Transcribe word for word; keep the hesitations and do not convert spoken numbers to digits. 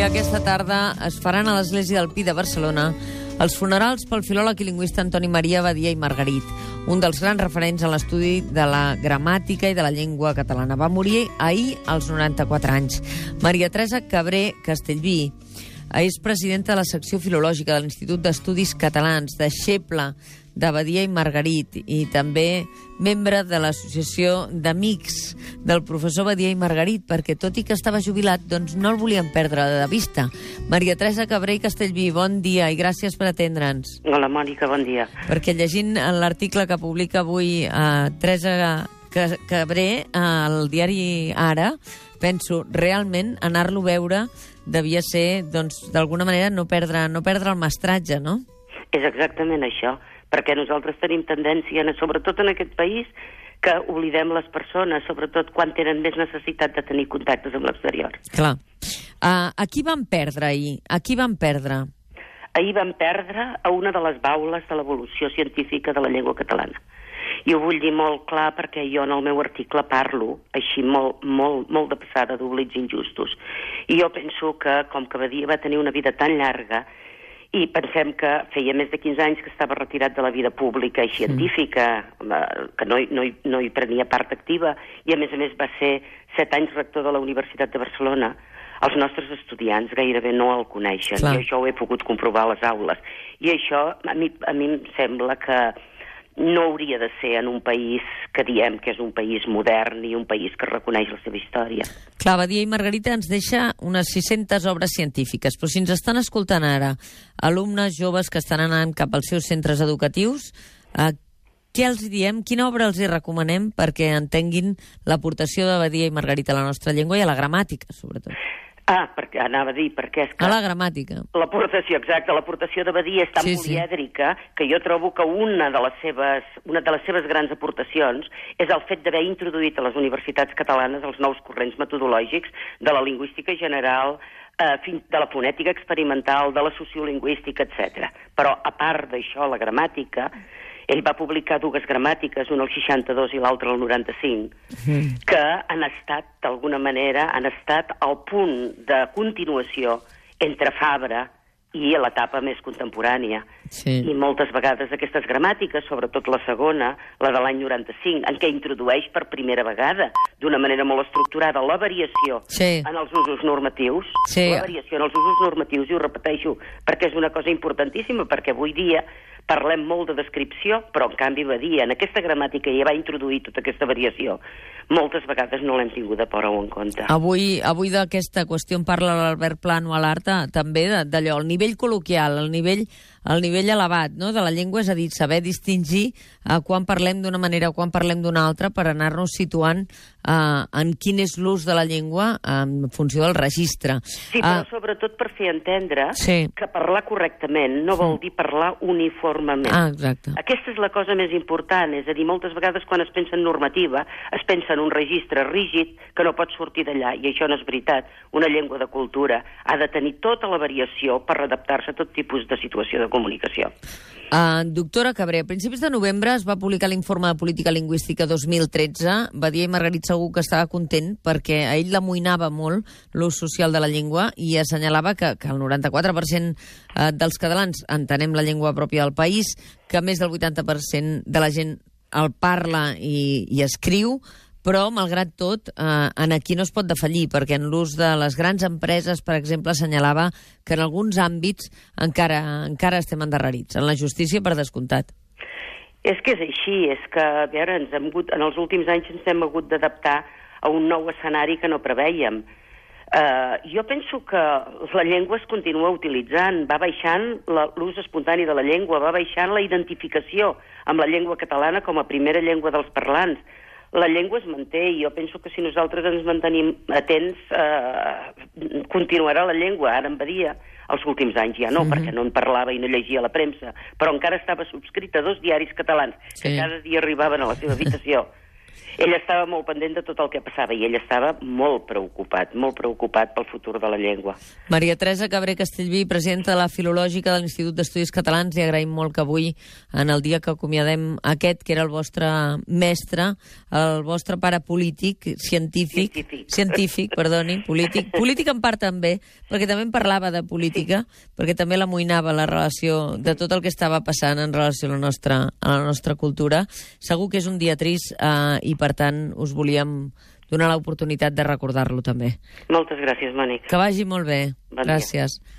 aquesta tarda es faran a l'Església del Pi de Barcelona els funerals pel filòleg i lingüista Antoni Maria Badia i Margarit, un dels grans referents en l'estudi de la gramàtica i de la llengua catalana. Va morir ahir als noranta-quatre anys. Maria Teresa Cabré Castellví és presidenta de la secció filològica de l'Institut d'Estudis Catalans, deixeble de Badia i Margarit, i també membre de l'Associació d'Amics del professor Badia i Margarit, perquè tot i que estava jubilat, doncs no el volien perdre de vista. Maria Teresa Cabré Castellví, bon dia i gràcies per atendre'ns. Hola, Mònica, bon dia. Perquè llegint l'article que publica avui a Teresa Cabré al diari Ara, penso, realment anar-lo a veure devia ser, doncs, d'alguna manera no perdre, no perdre el mestratge, no? És exactament això, perquè nosaltres tenim tendència, sobretot en aquest país, que oblidem les persones, sobretot quan tenen més necessitat de tenir contactes amb l'exterior. Clar. Uh, a qui van perdre ahir? A qui van perdre? Ahir van perdre a una de les baules de l'evolució científica de la llengua catalana. I ho vull dir molt clar perquè jo en el meu article parlo així molt, molt, molt de passada d'oblits injustos. I jo penso que, com que Badia va tenir una vida tan llarga, i pensem que feia més de quinze anys que estava retirat de la vida pública i científica, que no, no, no hi prenia part activa, i a més a més va ser set anys rector de la Universitat de Barcelona, els nostres estudiants gairebé no el coneixen. Clar. I això ho he pogut comprovar a les aules. I això a mi, a mi em sembla que no hauria de ser en un país que diem que és un país modern i un país que reconeix la seva història. Clar, Badia i Margarita ens deixa unes sis-centes obres científiques, però si ens estan escoltant ara alumnes joves que estan anant cap als seus centres educatius, eh, què els diem? Quina obra els hi recomanem perquè entenguin l'aportació de Badia i Margarita a la nostra llengua i a la gramàtica, sobretot? Ah, perquè anava a dir, perquè és que... A la gramàtica. L'aportació, exacte, l'aportació de Badia és tan sí, polièdrica sí. que jo trobo que una de les seves, una de les seves grans aportacions és el fet d'haver introduït a les universitats catalanes els nous corrents metodològics de la lingüística general, eh, de la fonètica experimental, de la sociolingüística, etcètera. Però, a part d'això, la gramàtica... Ell va publicar dues gramàtiques, una al seixanta-dos i l'altra al noranta-cinc, mm. que han estat, d'alguna manera, han estat al punt de continuació entre Fabra i l'etapa més contemporània. Sí. I moltes vegades aquestes gramàtiques, sobretot la segona, la de l'any noranta-cinc, en què introdueix per primera vegada, d'una manera molt estructurada, la variació sí. en els usos normatius, sí. la variació en els usos normatius, i ho repeteixo, perquè és una cosa importantíssima, perquè avui dia parlem molt de descripció, però en canvi Badia, en aquesta gramàtica ja va introduir tota aquesta variació. Moltes vegades no l'hem tingut de por o en compte. Avui, avui d'aquesta qüestió en parla l'Albert Plano a l'Arta, també d'allò, el nivell col·loquial, el nivell, el nivell elevat, no?, de la llengua, és a dir, saber distingir eh, quan parlem d'una manera o quan parlem d'una altra per anar-nos situant eh, en quin és l'ús de la llengua en funció del registre. Sí, però uh, sobretot per fer entendre sí. que parlar correctament no vol dir parlar uniformement. Ah, exacte. Aquesta és la cosa més important, és a dir, moltes vegades quan es pensa en normativa es pensa en un registre rígid que no pot sortir d'allà, i això no és veritat. Una llengua de cultura ha de tenir tota la variació per adaptar-se a tot tipus de situació de comunicació. Uh, doctora Cabré, a principis de novembre es va publicar l'informe de política lingüística dos mil tretze. Badia i Margarit segur que estava content perquè a ell l'amoïnava molt l'ús social de la llengua i assenyalava que, que el noranta-quatre per cent dels catalans entenem la llengua pròpia del país, que més del vuitanta per cent de la gent el parla i, i escriu, però, malgrat tot, eh, en aquí no es pot defallir, perquè en l'ús de les grans empreses, per exemple, assenyalava que en alguns àmbits encara, encara estem endarrerits. En la justícia, per descomptat. És que és així, és que, a veure, ens hem hagut, en els últims anys ens hem hagut d'adaptar a un nou escenari que no preveiem. Uh, jo penso que la llengua es continua utilitzant, va baixant l'ús espontani de la llengua, va baixant la identificació amb la llengua catalana com a primera llengua dels parlants. La llengua es manté i jo penso que si nosaltres ens mantenim atents eh, continuarà la llengua. Ara en Badia, els últims anys ja no, mm-hmm. perquè no en parlava i no llegia la premsa, però encara estava subscrita a dos diaris catalans que sí. cada dia arribaven a la seva habitació. Ell estava molt pendent de tot el que passava i ell estava molt preocupat, molt preocupat pel futur de la llengua. Maria Teresa Cabré Castellví, presidenta de la Filològica de l'Institut d'Estudis Catalans, li agraïm molt que avui, en el dia que acomiadem aquest, que era el vostre mestre, el vostre pare polític, científic, Científic, científic perdoni, polític, polític en part també, perquè també en parlava de política, perquè també l'amoïnava la relació de tot el que estava passant en relació a la nostra, a la nostra cultura. Segur que és un dia trist eh, i per tant us volíem donar l'oportunitat de recordar-lo també. Moltes gràcies, Mònica. Que vagi molt bé. Bon Gràcies. dia.